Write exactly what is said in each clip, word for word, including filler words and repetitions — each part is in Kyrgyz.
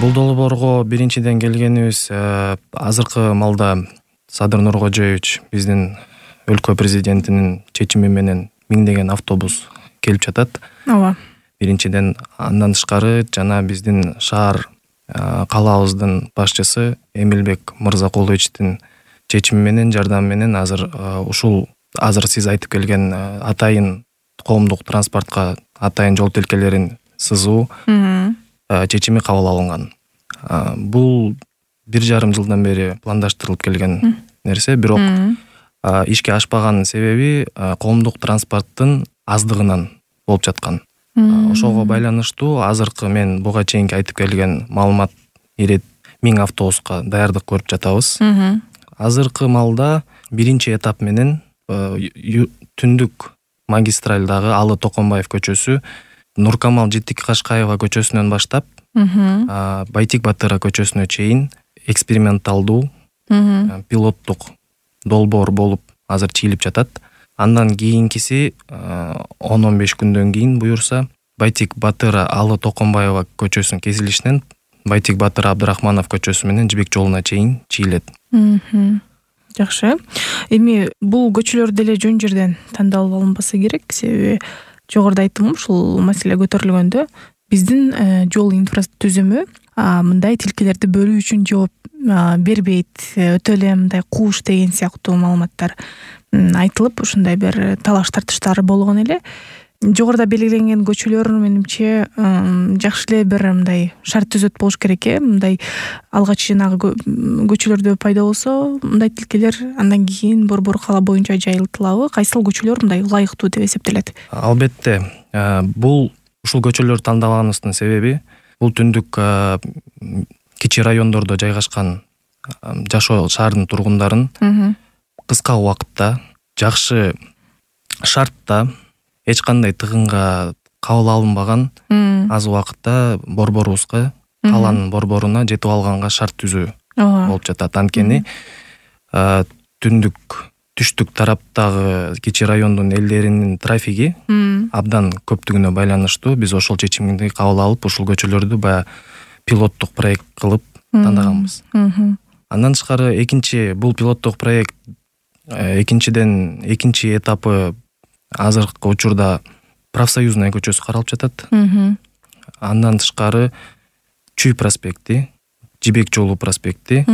Бул долбоорго биринчиден келгенибиз азыркы малда Садыр Нуркожоевич биздин өлкө президентинин чечими менен миңдеген автобус келип жатат. Ооба. Биринчиден андан тышкары жана биздин шаар калаабыздын башчысы Эмилбек Мырзакуловичтин чечими менен, жардамы менен азыр ушул азыр сиз айтып келген атайын коомдук транспортко атайын жол тилкелерин сызуу чечими кабыл алынган. Бул бир жарым жылдан бери пландаштырылып келген нерсе, бирок ишке ашпаган себеби коомдук транспорттун аздыгынан болуп жаткан. Ошого байланыштуу азыркы мен буга чейинки айтып келген маалымат ирет миң автобуска даярдык көрүп жатабыз. Азыркы малда биринчи этап менен түндүк магистралдагы Алы Токонбаев көчөсү Нуркамал Житик Кашкаева көчөсүнөн баштап Байтик Батыра көчөсүнө чейин эксперименталдуу пилоттук долбоор болуп азыр чийилип жатат. Андан кийинкиси он он беш күндөн кийин буюрса Байтик Батыра Алы Токонбаева көчөсүнүн кесилишинен Байтик Батыра Абдрахманов көчөсү менен Жибек жолуна чейин чийилет. Жакшы. Эми бул көчөлөр деле жөн жерден тандалып алынбаса керек, себеби жогоруда айттым, ушул маселе көтөрүлгөндө биздин жол инфратүзүмү мындай тилкелерди бөлүү үчүн жооп бербейт, өтө эле мындай кууш деген сыяктуу маалыматтар айтылып, ушундай бир талаш тартыштар болгон эле. Жогоруда белгиленген көчөлөр менимче жакшы эле бир мындай шарт түзөт болуш керек э. Мындай алгач жанагы көчөлөрдө пайда болсо, мындай тилкелер андан кийин борбор кала боюнча жайылтылабы? Кайсыл көчөлөр мындай ылайыктуу деп эсептелет? Албетте, бул ушул көчөлөрдү тандаганыбыздын себеби бул түндүк кичи райондордо жайгашкан жашоо шаардын тургундарын кыска убакытта жакшы шартта эч кандай тыгынга кабыл алынбаган аз убакытта борборубузга, каланын борборуна жетип алганга шарт түзүү болуп жатат. Анткени түндүк түштүк тараптагы кичи райондун элдеринин трафиги абдан көптүгүнө байланыштуу биз ошол чечимди кабыл алып, ушул көчөлөрдү баягы пилоттук проект кылып тандаганбыз. Андан тышкары экинчи бул пилоттук проект экинчиден экинчи этапы азыркы учурда Профсоюзная көчөсү каралып жатат. Андан тышкары Чүй проспекти, Жибек жолу проспекти.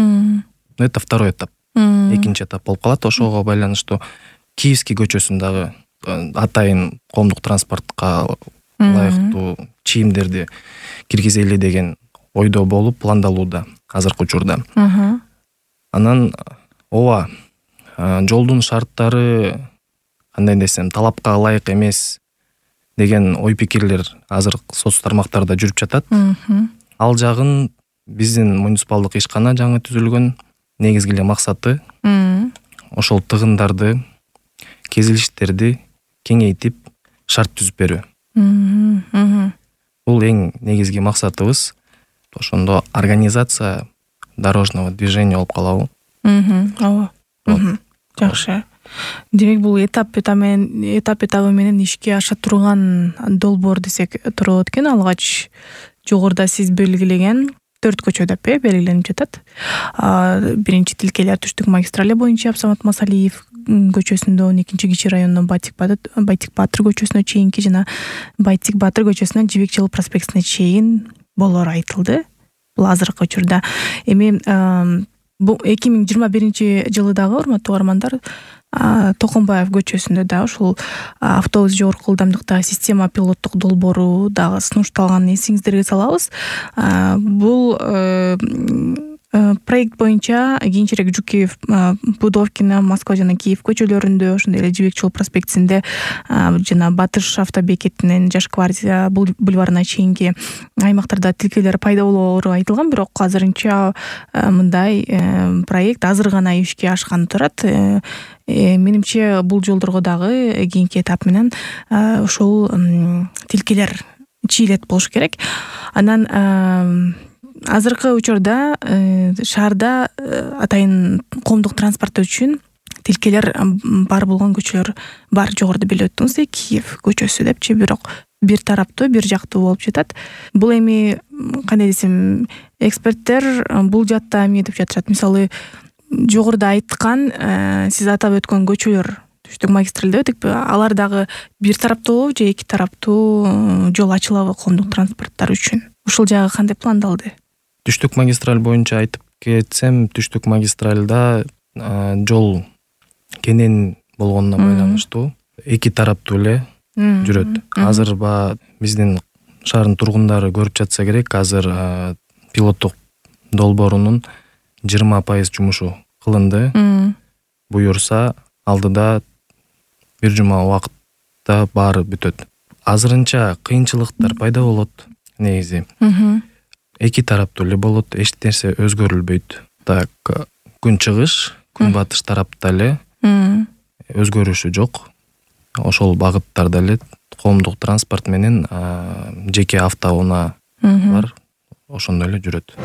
Это второй этап. Экинчи этап болуп калат. Ошого байланыштуу Киевский көчөсүн дагы атайын коомдук транспортко ылайыктуу чийимдерди киргизели деген ойдо болуп пландалууда азыркы учурда. Анан ооба, жолдун шарттары кандай десем, талапка ылайык эмес деген ой пикирлер азыр соц тармактарда жүрүп жатат. Ал жагын биздин муниципалдык ишкана жаңы түзүлгөн, негизги эле максаты ошол тыгындарды, кезилиштерди кеңейтип шарт түзүп берүү. Бул эң негизги максатыбыз. Ошондо организация дорожного движения болуп калабы. Ооба. Жакшы. Демек бул этап этабы этап этабы менен ишке аша турган долбоор десек туура экен. Алгач жогоруда сиз белгилеген төрт көчө деп э белгиленип жатат. Биринчи тилкелер түштүк магистрали боюнча Абсамат Масалиев көчөсүндө, он экинчи кичи райондон Байтик Батыр көчөсүнө чейинки жана Байтик Батыр көчөсүнөн Жибек жолу проспектине чейин болоору айтылды. Бул азыркы учурда. Эми бул эки миң жыйырма биринчи жылы дагы, урматтуу угармандар, Токонбаев көчөсүндө да ушул автобус жогорку ылдамдыктагы система пилоттук долбоору дагы сунушталганын эсиңиздерге салабыз. Бул проект боюнча кийинчерээк Жукеев, Пудовкина, Москва жана Киев көчөлөрүндө, ошондой эле Жибек жол проспектисинде жана Батыш автобекетинен Жаш гвардия бульварына чейинки аймактарда тилкелер пайда болоору айтылган, бирок азырынча мындай проект азыр гана ишке ашканы турат. Менимче бул жолдорго дагы кийинки этап менен ошол тилкелер чийилет болуш керек. Анан азыркы учурда шаарда атайын коомдук транспорт үчүн тилкелер бар болгон көчөлөр бар. Жогоруда белип өттүңүз, Киев көчөсү депчи, бирок бир тараптуу, бир жактуу болуп жатат. Бул эми кандай десем, эксперттер бул жаатта эмне деп жатышат? Мисалы, жогоруда айткан сиз атап өткөн көчөлөр түштүк магистраль деп өтүкпү? Алар дагы бир тараптуу же эки тараптуу жол ачылабы коомдук транспорттар үчүн? Ушул жагы кандай пландалды? Түштүк магистраль боюнча айтып кетсем, түштүк магистральда жол кенен болгонуна байланыштуу эки тараптуу эле жүрөт. Азыр ба биздин шаардын тургундары көрүп жатса керек, азыр пилоттук долбоорунун жыйырма пайыз жумушу кылынды. Буюрса, алдыда бир жума убакытта баары бүтөт. Азырынча кыйынчылыктар пайда болот негизи. Эки тараптуу эле болот, эч нерсе өзгөрүлбөйт. Так, күн чыгыш, күн батыш тарапта эле өзгөрүшү жок. Ошол багыттарда эле коомдук транспорт менен жеке автоунаа бар, ошондой эле жүрөт.